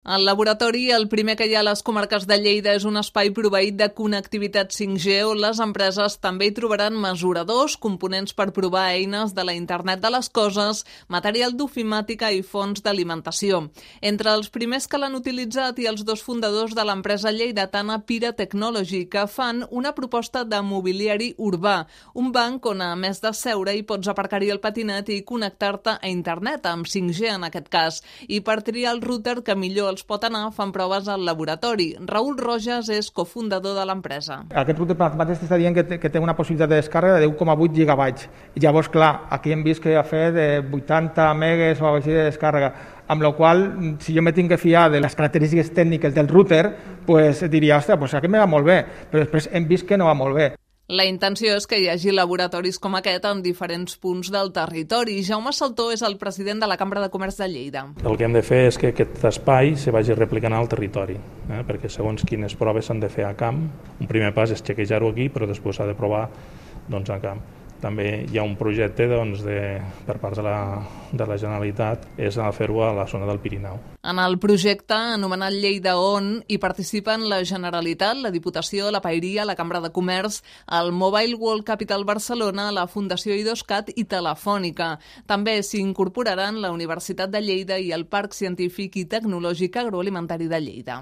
El laboratori, el primer que hi ha a les comarques de Lleida, és un espai proveït de connectivitat 5G on les empreses també hi trobaran mesuradors, components per provar eines de la Internet de les coses, material d'ofimàtica i fonts d'alimentació. Entre els primers que l'han utilitzat i els dos fundadors de l'empresa lleidatana Pira Technology, que fan una proposta de mobiliari urbà, un banc on a més de seure hi pots aparcar-hi el patinet i connectar-te a Internet, amb 5G en aquest cas, i per triar el router que millor els pot anar, fan proves al laboratori. Raül Rojas és cofundador de l'empresa. Aquest router mateix està dient que té una possibilitat de descàrrega de 1,8 gigabytes. Llavors, clar, aquí hem vist que ha fet de 80 megas o així de descàrrega, amb la qual si jo me tinc que fiar de les característiques tècniques del router, pues diria, ostres, pues aquest me va molt bé, però després hem vist que no va molt bé. La intenció és que hi hagi laboratoris com aquest en diferents punts del territori. Jaume Saltó és el president de la Cambra de Comerç de Lleida. El que hem de fer és que aquest espai se vagi replicant al territori, perquè segons quines proves s'han de fer a camp. Un primer pas és xequejar-ho aquí, però després s'ha de provar a camp. També hi ha un projecte per part de la Generalitat, és fer-ho a la zona del Pirineu. En el projecte, anomenat Lleida On, hi participen la Generalitat, la Diputació, la Paeria, la Cambra de Comerç, el Mobile World Capital Barcelona, la Fundació I2CAT i Telefònica. També s'hi incorporaran la Universitat de Lleida i el Parc Científic i Tecnològic Agroalimentari de Lleida.